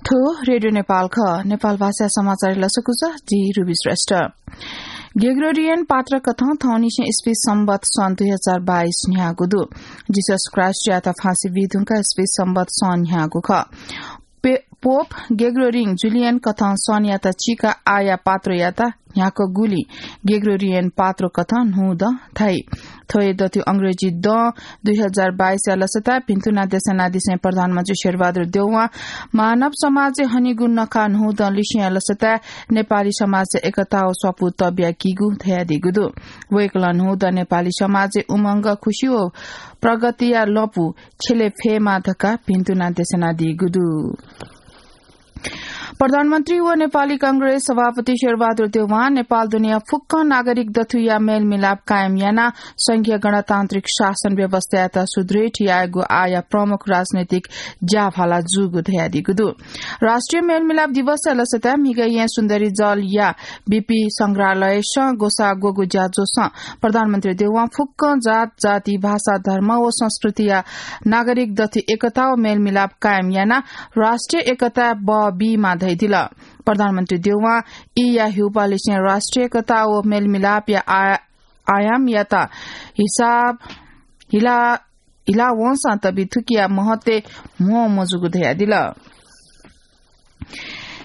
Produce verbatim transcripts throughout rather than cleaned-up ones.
थ्व रेडियो नेपाल खः। नेपाल भाषा समाचार लसकुस, जि रुबी श्रेष्ठ। ग्रेगोरियन पात्र कथं थौंनिसें इस्वी संवत सन् दुई हजार बाइस न्ह्यागु दु। जिसस क्राइस्टयात फाँसी बी धुंका इस्वी संवत सन् न्ह्यागु खः। पे-, पोप ग्रेगोरियन जुलियन कथं सनयात चीका आया पात्रयात न्ह्याकगुलिं ग्रेगोरियन पात्र कथं न्हूदँ धाइ। थ्व हे दथुइ अंग्रेजी दँ दुई हजार बाइसया लसताय् भिन्तुना देशनादिसें प्रधानमन्त्री शेरबहादुर देउवां मानव समाजय् हनीगु नखा न्हूदँ लिसेंया लसताय् नेपाली समाजय् एकता व स्वापू तबिया कीगु धयादीगु दु। वय्कलं न्हूदँ नेपाली समाजय् उमंग, खुसी व प्रगतिया लँपु छ्यले फयेमा धकाः भिन्तुना देशनादीगु दु। प्रधानमन्त्री व नेपाली कांग्रेस सभापति शेरबहादुर देउवां नेपाल दुनिया फुक्क नागरिक दथुया मेलमिलाप कायम यानाः संघीय गणतान्त्रिक शासन व्यवस्थायात सुदृढ यायेगु आःया प्रमुख राजनैतिक ज्याभाला जूगु धयादीगु दु। राष्ट्रिय मेलमिलाप दिवसया लसताय् म्हिगः येँ सुन्दरी जलया बीपी संग्रहालयसं ग्वसाः ग्वःगु ज्याझ्वलय् प्रधानमन्त्री देउवां फुक्क जात, जाति, भाषा, धर्म व संस्कृतिया नागरिक दथुइ एकता व मेलमिलाप कायम यानाः राष्ट्रिय एकताय् बः बीमा धयादिल। प्रधानमन्त्री देउवां ईया हिउपालिसें राष्ट्रिय एकता व मेलमिलापया आ-, आयामयात हिसाब हिला, हिला वंसां तबि थुकिया महत्वय् म्हो मजूगु धयादिल।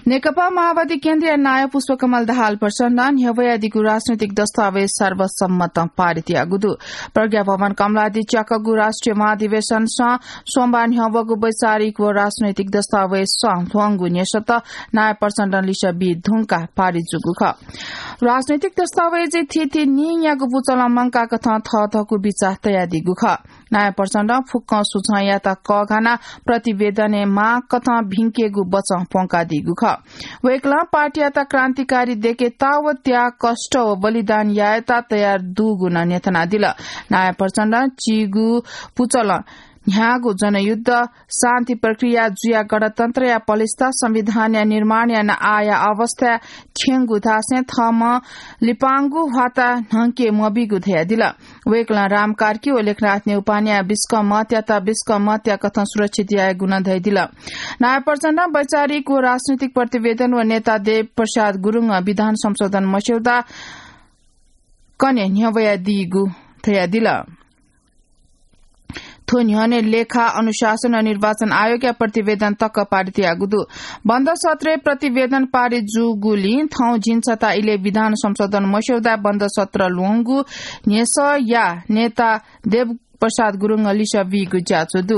नेकपा माओवादी केन्द्रया नायः पुष्पकमल दाहाल प्रचण्डं न्ह्यब्वयादीगु राजनैतिक दस्तावेज सर्वसम्मतं पारित याःगु दु। प्रज्ञा भवन कमलादी च्याकूगु राष्ट्रिय महाधिवेशनसं सोमबार न्ह्यब्वःगु वैचारिक व राजनैतिक दस्तावेजसं ल्ह्वंगु न्ह्यसःत नायः प्रचण्डं लिसः बी धुंकाः पारित जूगु खः। राजनैतिक दस्तावेजय् थीथी नीन्यागू पुचलं मंकाकथं थःथःगु बिचाः तयादीगु खः। नायः प्रचण्डं फुक्कं सुझावयात कःघानाः प्रतिवेदनय् माःकथं भिंकेगु बचं प्वंकादीगु खः। वय्कलं पार्टीयात क्रान्तिकारी दयेकेत व त्याग, कष्ट व बलिदान यायेत तयार दुगु नं न्ह्यथनादिल। नायः प्रचण्डं चीगु पुचलं न्ह्याःगु जनयुद्ध, शान्ति प्रक्रिया जुयाः गणतन्त्रया पलिस्था, संविधानया निर्माण यानाः आःया अवस्थाय् थ्यंगु धासें थःम्हं लिपांगु ह्वाता न्हंके मबीगु धयादिल। वय्कलं राम कार्की व लेखनाथ नेउपानेया बिस्कं मतयात बिस्कं मतया कथं सुरक्षित यायेगु नं धयादिल। नायः प्रचण्डं वैचारिक व राजनैतिक प्रतिवेदन व नेता देव प्रसाद गुरुङं विधान संशोधन मस्यौदा कन्हय् न्ह्यब्वयादीगु धयादिल। थ्व न्ह्यःने लेखा, अनुशासन व निर्वाचन आयोगया प्रतिवेदन तक पारित याःगु दु। बन्द सत्रय् प्रतिवेदन पारित जूगुलिं थौं झिंछता इलय् विधान संशोधन मस्यौदा बन्द सत्र ल्ह्वंगु न्ह्यसःया नेता देव प्रसाद गुरुङं लिसः बीगु ज्याझ्वः दु।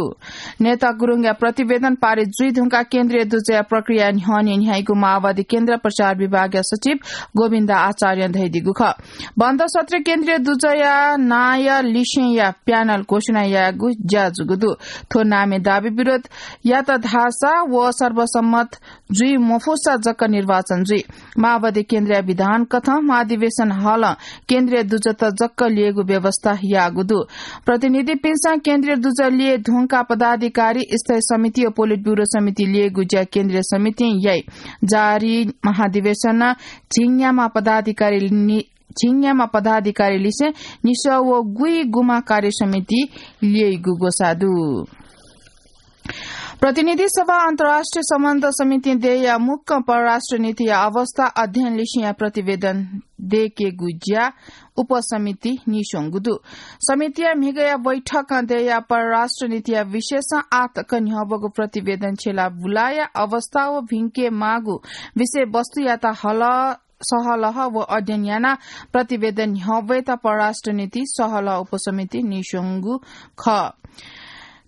नेता गुरुङया प्रतिवेदन पारित जुइ धुंकाः केन्द्रीय दुजःया प्रक्रिया न्ह्यःने न्ह्याइगु माओवादी केन्द्र प्रचार विभागया सचिव गोविन्द आचार्यं धयादीगु खः। बन्द सत्र केन्द्रीय दुजःया नायः लिसेंया प्यानल घोषणा यायेगु ज्या जूगु दु। थ्व नामय् दाबी विरोध यात धाःसा व सर्वसम्मत जुइ मफुसा जक निर्वाचन जुइ। माओवादी केन्द्रया विधान कथं महाधिवेशन हलं केन्द्रीय दुजःत जक ल्ययेगु व्यवस्था याःगु दु। प्रतिनिधिपिन्सं केन्द्रीय दुजः ल्यये धुंकाः पदाधिकारी, स्थायी समिति व पोलिट ब्युरो समिति ल्ययेगु ज्या केन्द्रीय समितिं याइ। जारी महाधिवेशन झिंन्याम्ह पदाधिकारी नि-, झिंन्याम्ह पदाधिकारी लिसें निसः व गुइगुम्ह कार्य समिति ल्यइगु ग्वसाः दु। प्रतिनिधि सभा अन्तर्राष्ट्रिय सम्बन्ध समितिं देय्‌या मुक्कं परराष्ट्र नीतिया अवस्था अध्ययन लिसेंया प्रतिवेदन दयेकेगु ज्या उपसमिति नीस्वंगु दु। समितिया म्हिगःया बैठकं देय्‌या परराष्ट्र नीतिया विषयसं आःतक न्ह्यब्वःगु प्रतिवेदन छ्यला बुलाया अवस्था व भिंके माःगु विषयवस्तुयात हल सहलह व अध्ययन यानाः प्रतिवेदन न्ह्यब्वयेत परराष्ट्र नीति सहलह उपसमिति नीस्वंगु खः।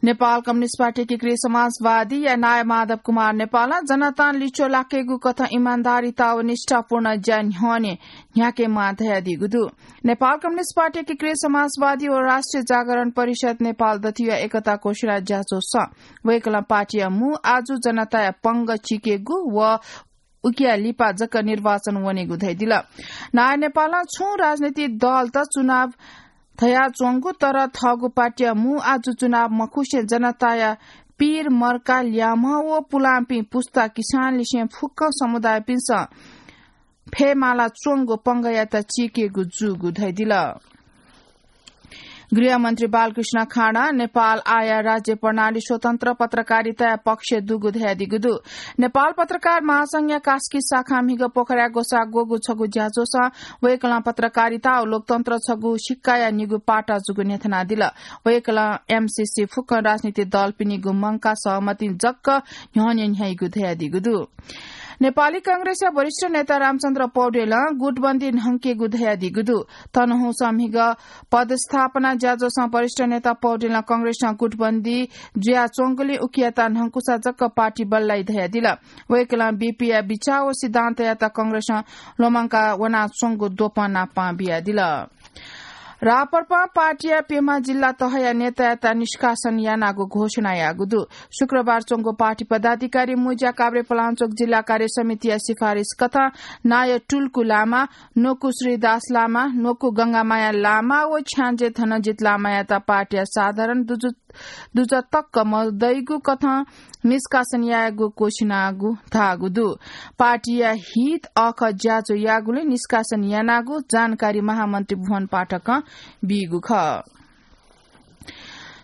नेपाल कम्युनिस्ट पार्टी एकीकृत समाजवादीया नायः माधव कुमार नेपालं जनतां लिच्वः लाकेगु कथं इमान्दारिता व निष्ठापूर्ण ज्या न्ह्यःने न्ह्याकेमाः धयादीगु दु। नेपाल कम्युनिस्ट पार्टी एकीकृत समाजवादी व राष्ट्रिय जागरण परिषद नेपाल दथुया एकता घोषणा ज्याझ्वलय् वय्‌कलं पार्टीया मू आजु जनताया पंगः चीकेगु व उकिया लिपा जक निर्वाचन वनेगु धयादिल। नायः नेपालं छुं राजनीतिक दलत चुनाव धयाच्वंगु, तर थःगु पार्टीया मू आजु चुनाव मखुसें जनताया पीर मर्का ल्याम्ह व पुलांपिं पुस्ता किसान लिसें फुक्क समुदायपिन्सं फयेमाला च्वंगु पंगःयात चीकेगु जूगु धयादिल। गृहमन्त्री बालकृष्ण खाँडा नेपाल आया राज्य प्रणाली स्वतन्त्र पत्रकारिताया पक्ष दुगु धयादीगु दु। नेपाल पत्रकार महासंघया कास्की शाखा म्हिगः पोखराय् ग्वसाः ग्वःगु छगू ज्याझ्वलय् वय्कलं पत्रकारिता व लोकतन्त्र छगू सिक्काया निगू पाटा जूगु न्ह्यथनादिल। वय्कलं एमसीसी फुक्क राजनीतिक दलपिनिगु मंकाः सहमति जक न्ह्यःने न्ह्याइगु धयादीगु दु। नेपाली कांग्रेसया वरिष्ठ नेता रामचन्द्र पौडेलं गुटबन्दी न्हंकेगु धयादीगु दु। तनहुँस म्हिगः पदस्थापना ज्याझ्वलय् वरिष्ठ नेता पौडेलं कांग्रेसं गुटबन्दी जुयाच्वंगुलिं उकियात न्हंकुसा जक पार्टी बल्लाइ धयादिल। वय्कलं बीपीया बिचाः व सिद्धान्तयात कांग्रेसं ल्वःमंका वनाच्वंगु द्वपं नापं बियादिल। राप्रपा पार्टीया प्यम्ह जिल्ला तहया नेतायात निष्कासन यानागु घोषणा याःगु दु। शुक्रबार च्वंगु पार्टी पदाधिकारी मुँज्या काभ्रे पलाञ्चोक जिल्ला कार्य समितिया सिफारिस कथं नायः टुल्कु लामा, न्वकु श्रीदास लामा, न्वकु गंगामाया लामा व छ्याञ्जे धनजित लामायात पार्टीया साधारण दुजु दुजः तक मदइगु कथं निष्कासन यायेगु घोषणा याःगु धाःगु दु। पार्टीया हित अःखः ज्याझ्वः याःगुलिं निष्कासन यानागु जानकारी महामन्त्री भुवन पाठकं बीगु खः।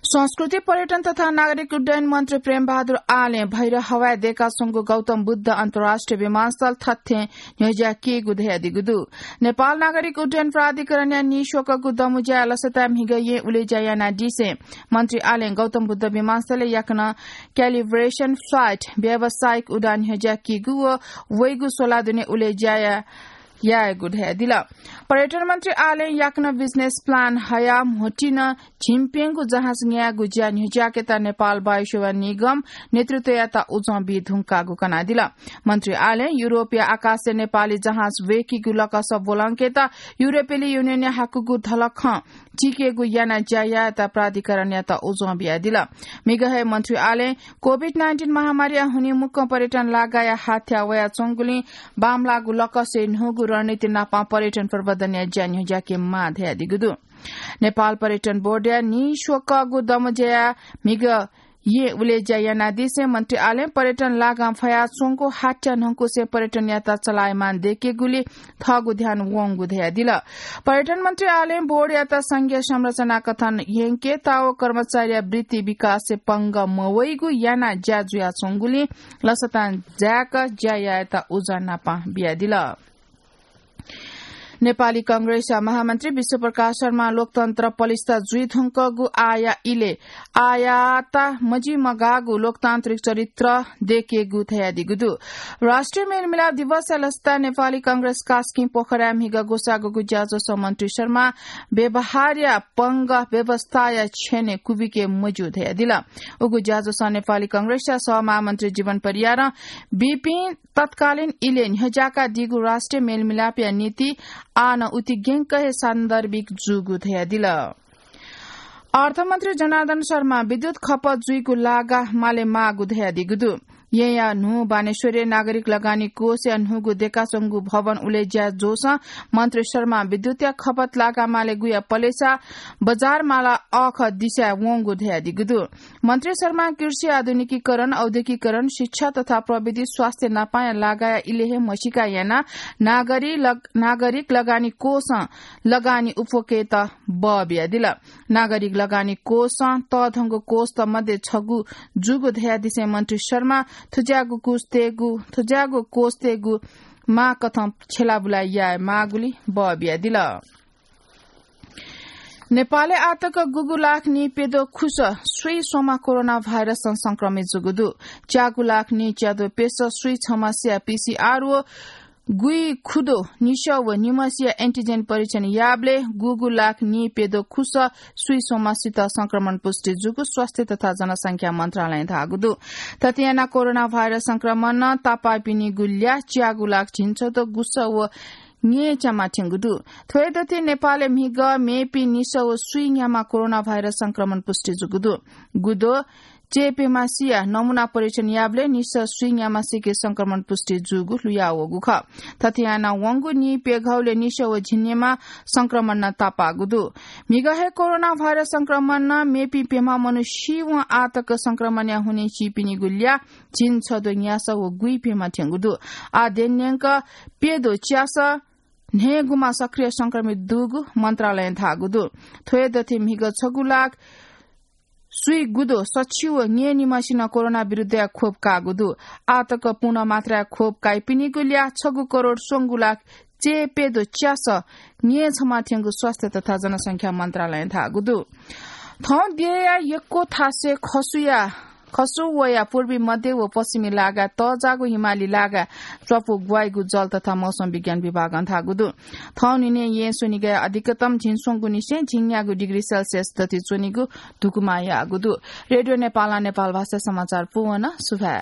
संस्कृति, पर्यटन तथा नागरिक उड्डयन मन्त्री प्रेमबहादुर आलें भैरव हवाय् दय्काच्वंगु गौतम बुद्ध अन्तर्राष्ट्रिय विमानस्थल थथें न्ह्यज्याकेगु धयादीगु दु। नेपाल नागरिक उड्डयन प्राधिकरणया निस्वकःगु दमुज्याय् लसताय् म्हिगः येँ उलेज्या यानादीसें मन्त्री आलें गौतम बुद्ध विमानस्थलय् याकनं calibration flight, व्यावसायिक उडान न्ह्यज्याकीगु व वइगु स्वलाः दुने उलेज्या या-, यायेगु धयादिल। पर्यटन मन्त्री आलें याकनं business plan हयाः म्होतिं झिंप्यंगू जहाज न्यायेगु ज्या न्ह्यज्याकेत नेपाल वायुसेवा निगम नेतृत्वयात उजं बी धुंकाःगु कनादिल। मन्त्री आलें युरोपया आकाशय् नेपाली जहाज ब्वय्कीगु लकस ब्वलंकेत युरोपेली युनियनया हाकूगु धलखं चिकेगु याना ज्या यायेत प्राधिकरणयात उजं बियादिल। म्हिगः हे मन्त्री आलें COVID nineteen महामारीया हुनिं मुक्कं पर्यटन लागाया हाथ्या वयाच्वंगुलिं बांमलाःगु लकसय् न्हूगु रणनीति नापं पर्यटन प्रवर्धनया ज्या न्ह्यज्याकेमाः धयादीगु दु। नेपाल पर्यटन बोर्डया निस्वकःगु दमुज्याय् म्हिगः येँ उलेज्या यानादीसें मन्त्री आलें पर्यटन लागां फयाच्वंगु हाथ्या न्हंकुसें पर्यटनयात चलायमान दय्केगुली थःगु ध्यान वंगु धयादिल। पर्यटन मन्त्री आलें बोर्डयात संघीय संरचना कथं यंकेत व कर्मचारीया वृत्ति विकासय् पंगः मवइगु याना ज्या जुयाच्वंगुलिं लसतां जाय्क ज्या यायेत उजं नापं बियादिल। नेपाली कांग्रेसया महामन्त्री विश्वप्रकाश शर्मां लोकतन्त्र पलिस्था जुइधुंकूगु आःया इलय् आःयात मजिमगाःगु लोकतान्त्रिक चरित्र दय्केगु धयादीगु दु। राष्ट्रिय मेलमिलाप दिवसया लसताय् नेपाली कांग्रेस कास्की पोखराय् म्हिगः ग्वसाः ग्वःगु ज्याझ्वलय् मन्त्री शर्मां व्यवहारया पंगः व्यवस्थाया छ्यनय् कुबिके मज्यू धयादिल। उगु ज्याझ्वलय् नेपाली कांग्रेसया सहमहामन्त्री जीवन परियारं बीपिं तत्कालीन इलय् न्ह्यज्याकादीगु राष्ट्रिय मेलमिलापया नीति आः नं उतिग्यंक हे सान्दर्भिक जूगु धयादिल। अर्थमन्त्री जनार्दन शर्मां विद्युत खपत जुइगु लागा माले माःगु धयादीगु दु। येँया न्हू बानेश्वरय् नागरिक लगानी कोषया न्हूगु दय्काच्वंगु भवन उलेज्या जूसां मन्त्री शर्मां विद्युतया खपत लागा मालेगुया पलेसा बजार माला अःखः दिसाय् वंगु धयादीगु दु। मन्त्री शर्मां कृषि आधुनिकीकरण, औद्योगिकीकरण, शिक्षा तथा प्रविधि, स्वास्थ्य नापांया लागाया इलय् हे म्हसीका यानाः नागरी लग-, नागरिक लगानी कोषं लगानी उप्वकेत बः बियादिल। नागरिक लगानी कोषं तःधंगु कोषत मध्ये छगू जूगु धयादिसें मन्त्री शर्मां थुज्याःगु कोष तयेगु, थुज्याःगु कोष तयेगु माःकथं छ्यलाबुला याये माःगुली बः बियादिल। नेपालय् आःतक गुगु लाख नीप्यद्वः खुसः स्वीस्वम्ह कोरोना भाइरसं संक्रमित जूगु दु। च्यागु लाख नीच्याद्वः प्यसः स्वीछम्हसिया पीसीआर व गुइखुद्वः निसः व निम्हसिया एन्टिजेन परीक्षण याःबलय् गुगु लाख नीप्यद्वः खुसः स्वीस्वम्हसित संक्रमण पुष्टि जूगु स्वास्थ्य तथा जनसंख्या मन्त्रालयं धाःगु दु। थथे यानाः कोरोना भाइरस संक्रमणं तापाःपिनिगु ल्याः च्यागु लाख झिंछद्वः गुसः व न्येच्याम्ह थ्यंगु दु। थ्व हे दथुइ नेपालय् म्हिगः मेपिं निसः व स्वीन्याम्ह कोरोना भाइरस संक्रमण पुष्टि जूगु दु। गुद्वः च्यय्प्यम्हसिया नमूना परीक्षण याःबलय् निसः स्वीन्याम्हसिके संक्रमण पुष्टि जूगु लुयावःगु खः। थथे यानाः वंगु नीप्यघौलय् निसः व झिंन्याम्ह संक्रमणं तापाःगु दु। म्हिगः हे कोरोना भाइरस संक्रमणं मेपिं प्यम्ह मनू सीवं आःतक संक्रमणया हुनिं सीपिनिगु ल्याः झिंछद्वः न्यासः व गुइप्यम्ह थ्यंगु दु। आः द्यनेन्यंक प्यद्वः च्यासः न्हय्‌गुमा सक्रिय संक्रमित दुगु मन्त्रालयं धाःगु दु। थ्व दथि म्हिगः छगू लाख स्वीगुदु सछि व न्यय्‌निम्हसिनं कोरोना विरुद्धया खोप काःगु दु। आः तक पूर्ण मात्राया खोप काइपिनिगु ल्याः छगू करोड स्वंगू लाख चय्‌प्यदु च्यासः न्यय्‌छम्ह थ्यंगु स्वास्थ्य तथा जनसंख्या मन्त्रालयं धाःगु दु। थौं देय्‌या यक्व थासय् खसुया, खसु वया पूर्वी मध्य व पश्चिमी लागाय् तःजाःगु हिमाली लागाय् च्वापु ग्वाइगु जल तथा मौसम विज्ञान विभागं धाःगु दु। थौं निने येँ स्वनिगय् अधिकतम झिंस्वंगु निसें झिंन्यागू डिग्री सेल्सियस दथि च्वनीगु धुकुमा याःगु दु। रेडियो नेपालं नेपाल भाषा समाचार पूवन सुभाय्।